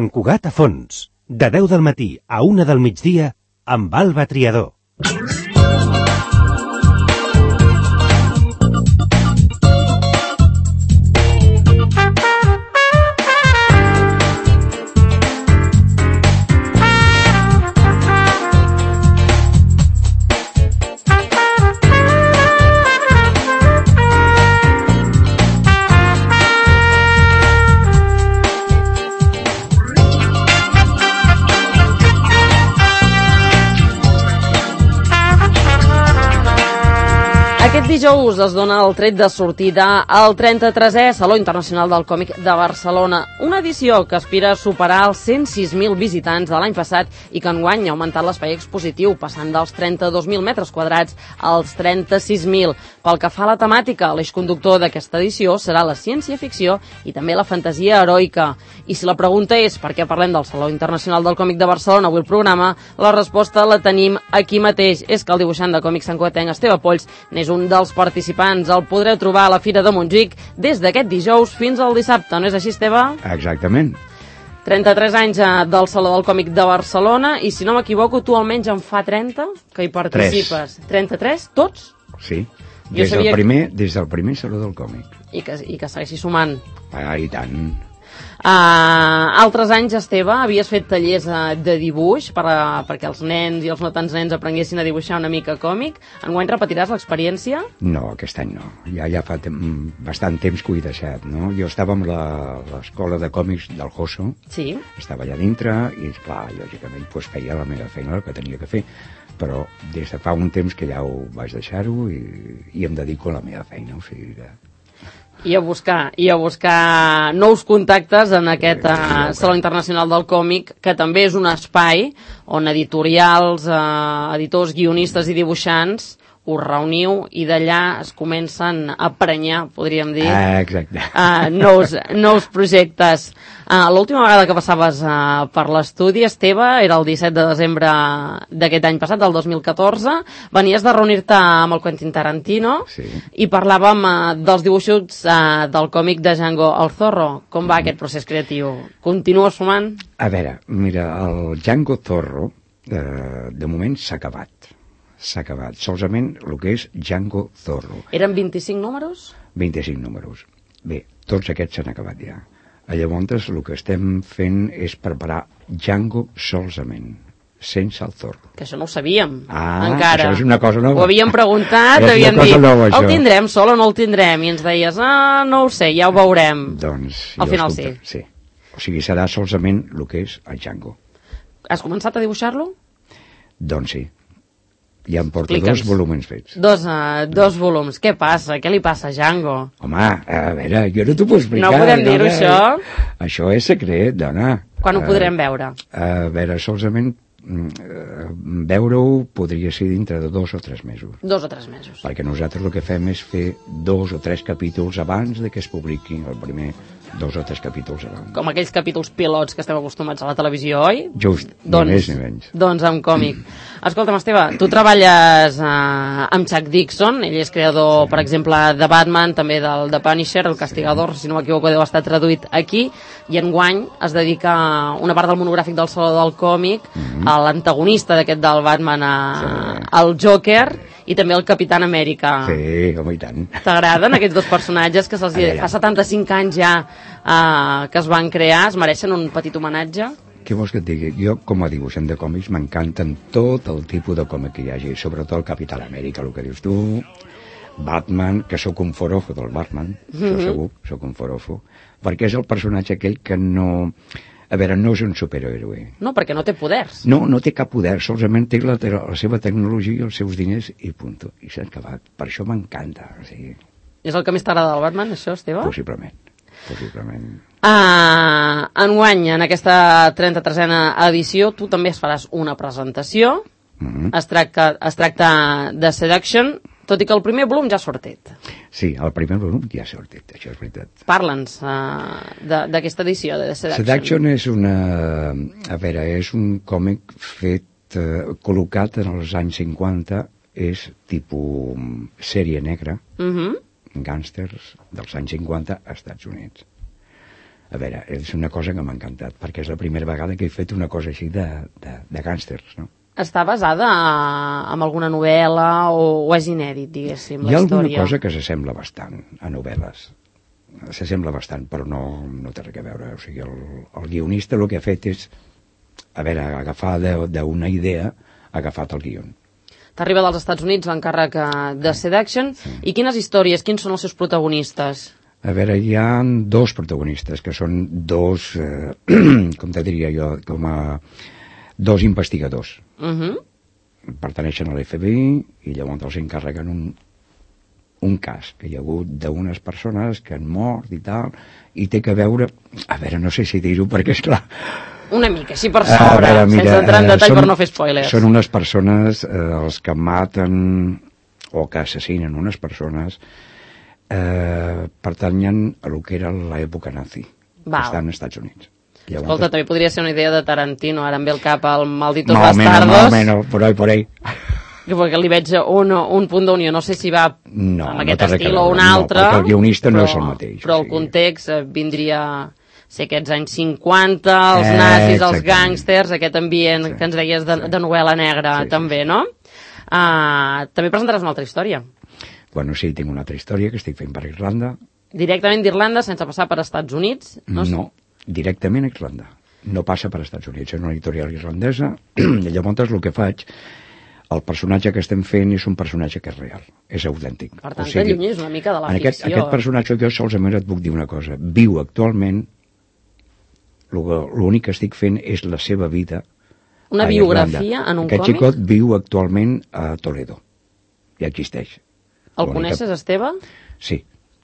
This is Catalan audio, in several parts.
Sant Cugat a fons, de 10 del matí a 1 del migdia, amb Alba Triador. Aquest dijous es dona el tret de sortida al 33è Saló Internacional del Còmic de Barcelona, una edició que aspira a superar els 106.000 visitants de l'any passat i que enguany ha augmentat l'espai expositiu, passant dels 32.000 metres quadrats als 36.000. Pel que fa a la temàtica, l'eix conductor d'aquesta edició serà la ciència-ficció i també la fantasia heroica. I si la pregunta és per què parlem del Saló Internacional del Còmic de Barcelona avui al programa, la resposta la tenim aquí mateix. És que el dibuixant de còmics santcugatenc Esteve Polls n'és un dels participants. El podreu trobar a la Fira de Montjuïc des d'aquest dijous fins al dissabte. No és així, Esteve? Exactament. 33 anys del Saló del Còmic de Barcelona i, si no m'equivoco, tu almenys en fa 30 que hi participes. 33? Tots? Sí. Des del primer Saló del Còmic. I que segueixi sumant. I tant. Altres anys, Esteve, havies fet tallers de dibuix perquè els nens i els no tants nens aprenguessin a dibuixar una mica còmic. Enguany repetiràs l'experiència? No, aquest any no. Ja fa bastant temps que ho he deixat, no? Jo estava amb l'escola de còmics del Joso. Sí. Estava allà dintre i, clar, lògicament, feia la meva feina, el que tenia que fer. Però des de fa un temps que ja ho vaig deixar-ho i em dedico a la meva feina, o sigui que... I a buscar nous contactes en aquest Saló Internacional del Còmic, que també és un espai on editorials, editors, guionistes i dibuixants us reuniu i d'allà es comencen a prenyar, podríem dir, nous projectes. L'última vegada que passaves per l'estudi, Esteve, era el 17 de desembre d'aquest any passat, del 2014. Venies de reunir-te amb el Quentin Tarantino, sí, i parlàvem dels dibuixos del còmic de Django el Zorro. Com va aquest procés creatiu? Continua sumant? A veure, mira, el Django Zorro de moment s'ha acabat. Solament el que és Django Zorro. Eren 25 números? 25 números. Bé, tots aquests s'han acabat ja. Llavors el que estem fent és preparar Django solament, sense el Zorro. Que això no ho sabíem, encara. Això és una cosa nova. Ho havíem preguntat, havíem dit, el tindrem sol o no el tindrem? I ens deies, no ho sé, ja ho veurem. Doncs... Al final sí. Sí. O sigui, serà solament el que és el Django. Has començat a dibuixar-lo? Doncs sí. Ja em porto 2 volums fets. Dos volums. Què passa? Què li passa a Django? Home, a veure, jo no t'ho puc explicar. No podem dir-ho, això? Això és secret, dona. Quan ho podrem veure? A veure, solament veure-ho podria ser dintre de 2 o 3 mesos. 2 o 3 mesos. Perquè nosaltres el que fem és fer 2 o 3 capítols abans de que es publiqui el primer, 2 o 3 capítols abans. Com aquells capítols pilots que estem acostumats a la televisió, oi? Just, ni més ni menys. Doncs amb còmic. Escolta'm, Esteve, tu treballes amb Chuck Dixon, ell és creador, per exemple, de Batman, també del The Punisher, el Castigador, si no m'equivoco, deu estar traduït aquí, i enguany es dedica una part del monogràfic del Saló del Còmic a l'antagonista d'aquest del Batman, al Joker, i també el Capitán Amèrica. Sí, home, i tant. T'agraden aquests dos personatges que fa 75 anys ja que es van crear? Es mereixen un petit homenatge? Què vols que et digui? Jo, com a dibuixant de còmics, m'encanten tot el tipus de còmic que hi hagi, sobretot el Capitán Amèrica, el que dius tu, Batman, que sóc un forofo del Batman, això segur, sóc un forofo, perquè és el personatge aquell que no... A veure, no és un superhéroe. No, perquè no té poders. No té cap poder, solament té la seva tecnologia i els seus diners i punt. I s'ha acabat. Per això m'encanta. O sigui... És el que més t'agrada del Batman, això, Esteve? Possiblement. Enguany, en aquesta 33a edició, tu també es faràs una presentació. Es tracta de Seduction, tot i que el primer volum ja ha sortit. Sí, el primer volum ja ha sortit, això és veritat. Parla'ns d'aquesta edició de Seduction. Seduction és és un còmic fet, col·locat en els anys 50, és tipus sèrie negra, gàngsters dels anys 50 als Estats Units. A veure, és una cosa que m'ha encantat, perquè és la primera vegada que he fet una cosa així de gàngsters, no? Està basada en alguna novel·la o és inèdit, diguéssim, la Hi ha història? alguna cosa que s'assembla bastant a novel·les. S'assembla bastant, però no té res a veure. O sigui, el guionista el que ha fet és, a veure, agafar d'una idea, ha agafat el guion. T'arriba dels Estats Units l'encàrrec de Seduction. Sí. I quines històries, quins són els seus protagonistes? A veure, hi ha dos protagonistes, que són dos, com te diria jo, com a dos investigadors. Pertaneixen a l'FBI i llavors els encarreguen un cas que hi ha hagut d'unes persones que han mort i tal, i té que veure, a veure, no sé si dir-ho perquè és clar. Una mica, així per sobre, sense entrar en detall per no fer spoilers. Són unes persones, els que maten o que assassinen unes persones, pertanyen a lo que era l'època nazi, que està als Estats Units. Llavors, escolta, també podria ser una idea de Tarantino, ara em ve el cap al Malditos Bastardos. No, por ahí. Perquè li veig un punt d'unió, no sé si va amb aquest estil o un altre. No, perquè el guionista no és el mateix. Però el context vindria ser aquests anys 50, els nazis, els gàngsters, aquest ambient que ens deies de novel·la negra, també, no? També presentaràs una altra història. Bueno, sí, tinc una altra història que estic fent per Irlanda. Directament d'Irlanda, sense passar per Estats Units? No, directament a Irlanda. No passa per Estats Units, és una editorial irlandesa, i llavors el que faig, el personatge que estem fent és un personatge que és real, és autèntic. Per tant, t'allunyis una mica de la ficció. Aquest personatge, jo solament et puc dir una cosa, viu actualment, l'únic que estic fent és la seva vida. Una biografia en un còmic? Aquest xicot viu actualment a Toledo, i existeix. El coneixes, Esteve? Sí.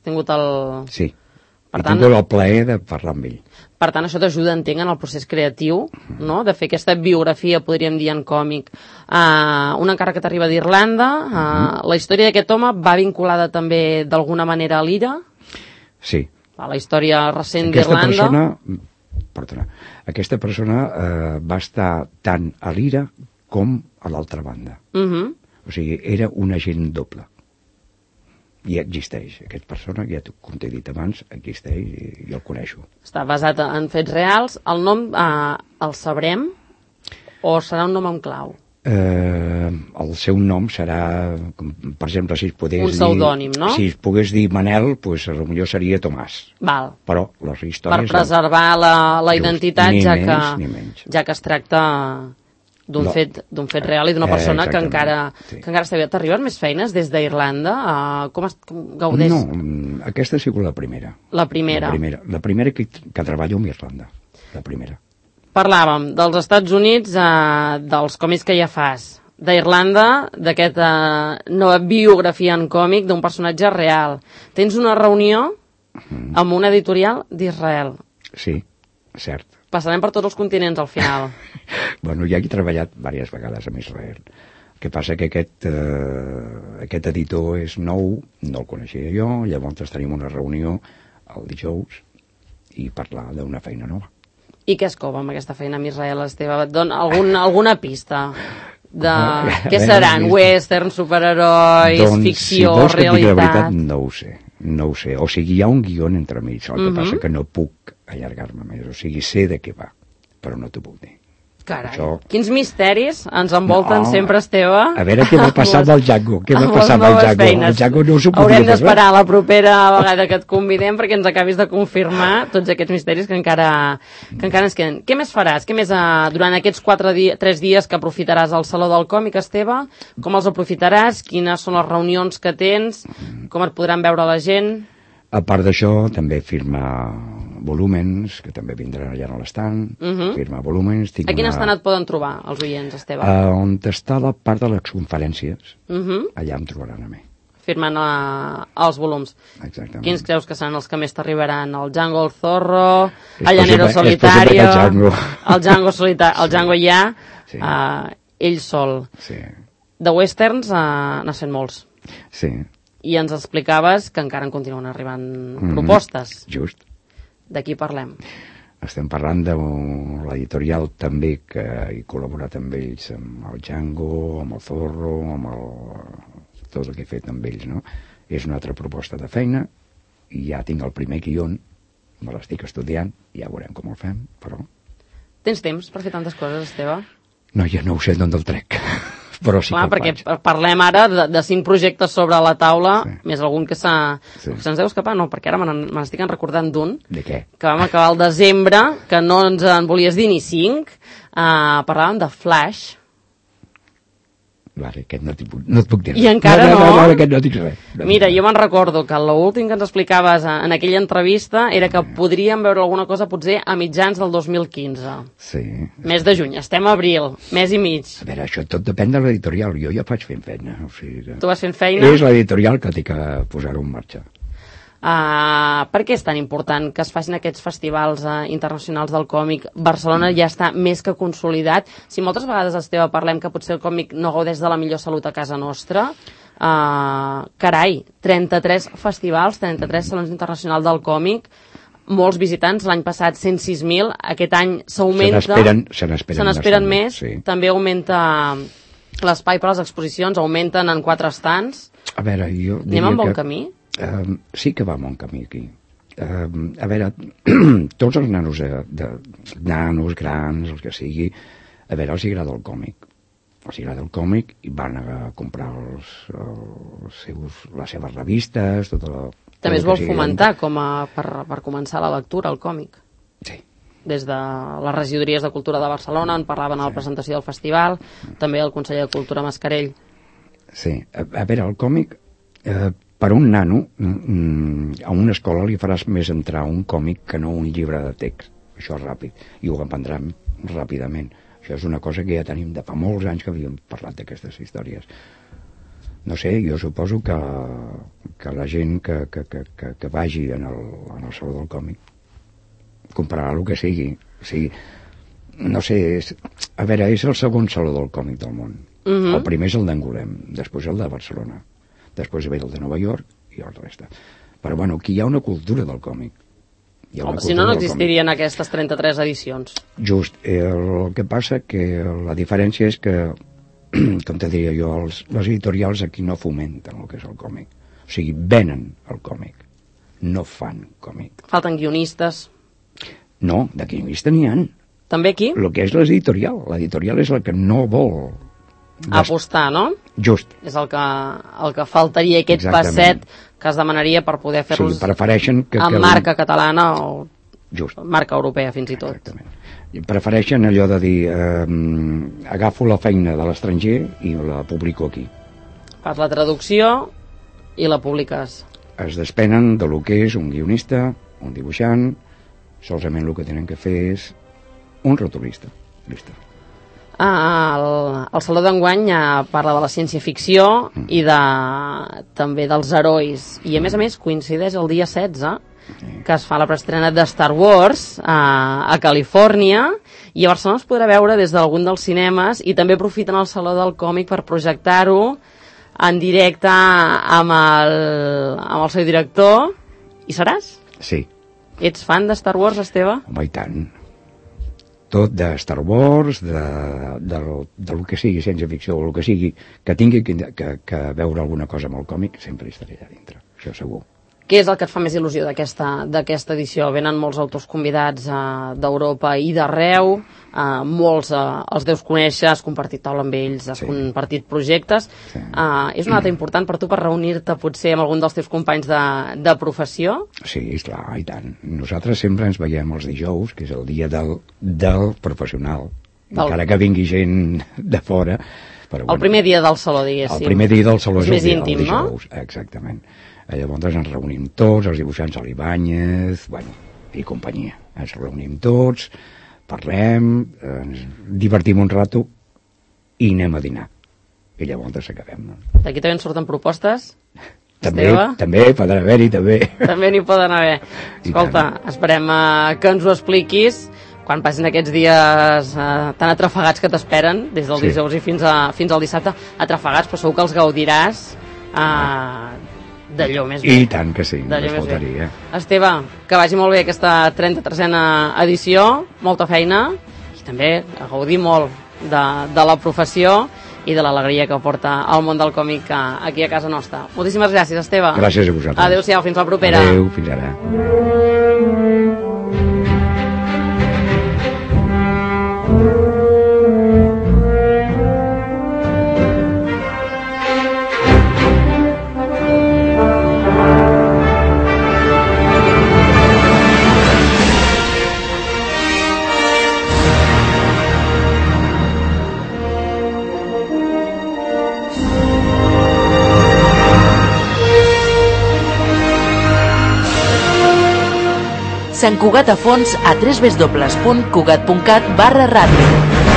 Tingut el... Sí. I tinc el plaer de parlar amb ell. Per tant, això t'ajuda, entenc, en el procés creatiu, no?, de fer aquesta biografia, podríem dir, en còmic. Un encàrrec que t'arriba d'Irlanda. La història d'aquest home va vinculada també, d'alguna manera, a l'Ira? Sí. A la història recent d'Irlanda? Aquesta persona va estar tant a l'Ira com a l'altra banda. O sigui, era un agent doble. I existeix, aquesta persona, ja com t'he dit abans, existeix i el coneixo. Està basat en fets reals. El nom el sabrem o serà un nom en clau? El seu nom serà, per exemple, si es pogués dir... Un pseudònim, no? Si es pogués dir Manel, doncs potser seria Tomàs. Val. Però les històries... Per preservar la identitat, ja que es tracta d'un fet real i d'una persona que encara està bé. T'arriben més feines des d'Irlanda? Com gaudeix? No, aquesta ha sigut la primera. La primera? La primera que treballo amb Irlanda. La primera. Parlàvem dels Estats Units, dels còmics que ja fas, d'Irlanda, d'aquesta nova biografia en còmic d'un personatge real. Tens una reunió amb una editorial d'Israel. Sí, cert. Passarem per tots els continents al final. Bueno, ja he treballat diverses vegades amb Israel. El que passa que aquest editor és nou, no el coneixia jo, llavors tenim una reunió el dijous i parlar d'una feina nova. I què es cova amb aquesta feina amb Israel, Esteve? Et dona alguna pista de què seran? Western, superherois, ficció, realitat? Si vols que et digui la veritat, no ho sé. O sigui, hi ha un guió entre mig, el que passa que no puc allargar-me més. O sigui, sé de què va, però no t'ho puc dir. Carai, quins misteris ens envolten sempre, Esteve. A veure què va passar amb el Django. Què va passar amb el Django? El Django no s'ho podia passar. Haurem d'esperar la propera vegada que et convidem perquè ens acabis de confirmar tots aquests misteris que encara ens queden. Què més faràs? Què més durant aquests 3 dies que aprofitaràs al Saló del Còmic, Esteve? Com els aprofitaràs? Quines són les reunions que tens? Com et podran veure la gent? A part d'això, també firma volúmens, que també vindran allà a l'estand, firma volúmens. A quin estand et poden trobar els oients, Esteve? On està la part de les conferències, allà em trobaran a mi. Firmant els volums. Exactament. Quins creus que seran els que més t'arribaran? El Django, el Zorro, el Llanero Solitario, el Django ja, ell sol. De westerns n'ha fet molts. Sí. I ens explicaves que encara en continuen arribant propostes. Just. De qui parlem? Estem parlant de l'editorial també que he col·laborat amb ells, amb el Django, amb el Zorro, amb tot el que he fet amb ells, no? És una altra proposta de feina i ja tinc el primer guion me l'estic estudiant, ja veurem com el fem, però... Tens temps per fer tantes coses, Esteve? No, jo no ho sé d'on el trec, però sí. Clar, que perquè el faig. parlem ara de 5 projectes sobre la taula, Sí. més algun que se'ns deu escapar, no, perquè ara me n'estic recordant d'un, De què? que vam acabar al desembre, que no ens en volies dir ni 5, parlàvem de Flash, Vale, aquest no et puc dir res. I encara no? No, aquest no dic res. Mira, jo me'n recordo que l'últim que ens explicaves en aquella entrevista era que podríem veure alguna cosa potser a mitjans del 2015. Sí. Mes de juny, estem a abril, mes i mig. A veure, això tot depèn de l'editorial. Jo ja faig fent feina. O sigui que... Tu vas fent feina? És l'editorial que té que posar-ho en marxa. Per què és tan important que es facin aquests festivals internacionals del còmic? Barcelona ja està més que consolidat. Si moltes vegades, Esteve, parlem que potser el còmic no gaudeix de la millor salut a casa nostra, carai, 33 festivals, 33 salons internacionals del còmic, molts visitants, l'any passat 106.000, aquest any s'augmenta... Se n'esperen més, sí. També augmenta l'espai per a les exposicions, augmenten en 4 estants. A veure, jo diria Anem en bon camí? Sí que va en bon camí aquí. A veure, tots els nanos, nanos, grans, els que sigui, a veure, els agrada el còmic. Els agrada el còmic i van a comprar les seves revistes, tota la... També es vol fomentar per començar la lectura, el còmic. Sí. Des de les regidories de Cultura de Barcelona en parlaven a la presentació del festival, també el conseller de Cultura Mascarell. Sí, a veure, el còmic... Per un nano, a una escola li faràs més entrar un còmic que no un llibre de text. Això és ràpid, i ho aprendran ràpidament. Això és una cosa que ja tenim de fa molts anys que havíem parlat d'aquestes històries. No sé, jo suposo que la gent que vagi en el Saló del Còmic comprarà el que sigui. O sigui, no sé, a veure, és el segon Saló del Còmic del món. El primer és el d'Angolem, després el de Barcelona. Després ve el de Nova York i el resta. Però, bueno, aquí hi ha una cultura del còmic. Si no, no existirien aquestes 33 edicions. Just. El que passa que la diferència és que, com te diria jo, les editorials aquí no fomenten el que és el còmic. O sigui, venen el còmic. No fan còmic. Falten guionistes. No, de guionista n'hi ha. També aquí? El que és l'editorial. L'editorial és el que no vol... apostar, no? Just. És el que faltaria, aquest passet que es demanaria per poder fer-los amb marca catalana o marca europea fins i tot. Exactament. Prefereixen allò de dir agafo la feina de l'estranger i la publico aquí. Fas la traducció i la publiques. Es despenen de lo que és un guionista, un dibuixant, solament el que tenen que fer és un rotulista. Listo. El Saló d'enguany parla de la ciència-ficció i també dels herois. I a més coincideix el dia 16 que es fa la preestrena de Star Wars a Califòrnia, i a Barcelona es podrà veure des d'algun dels cinemes, i també aprofiten el Saló del Còmic per projectar-ho en directe amb el seu director. Hi seràs? Sí. Ets fan de Star Wars, Esteve? Home, i tant. Tot de Star Wars, del que sigui ciència-ficció, o el que sigui, que tingui que veure alguna cosa amb el còmic, sempre hi estaré allà dintre, això segur. Què és el que et fa més il·lusió d'aquesta edició? Venen molts autors convidats d'Europa i d'arreu, molts els deus conèixer, has compartit taula amb ells, has compartit projectes. Sí. És una data important per tu per reunir-te potser amb algun dels teus companys de professió? Sí, esclar, i tant. Nosaltres sempre ens veiem els dijous, que és el dia del professional, encara que vingui gent de fora. Però, el primer dia del saló, diguéssim. El primer dia del saló és més íntim, no? Exactament. Llavors ens reunim tots, els dibuixants a l'Ibáñez, bueno, i companyia. Ens reunim tots, parlem, ens divertim un rato i anem a dinar. I llavors acabem. No? D'aquí també en surten propostes? També, poden haver-hi, també. També n'hi poden haver. Escolta, esperem que ens ho expliquis quan passin aquests dies tan atrafegats que t'esperen, des del dijous i fins al dissabte, atrafegats, però segur que els gaudiràs d'allò més bé. I tant que sí, no faltaria. Esteve, que vagi molt bé aquesta 33a edició, molta feina, i també a gaudir molt de la professió i de l'alegria que porta el món del còmic aquí a casa nostra. Moltíssimes gràcies, Esteve. Gràcies a vosaltres. Adéu-siau, fins la propera. Adéu, fins ara. Sant Cugat a fons a www.cugat.cat/ràdio.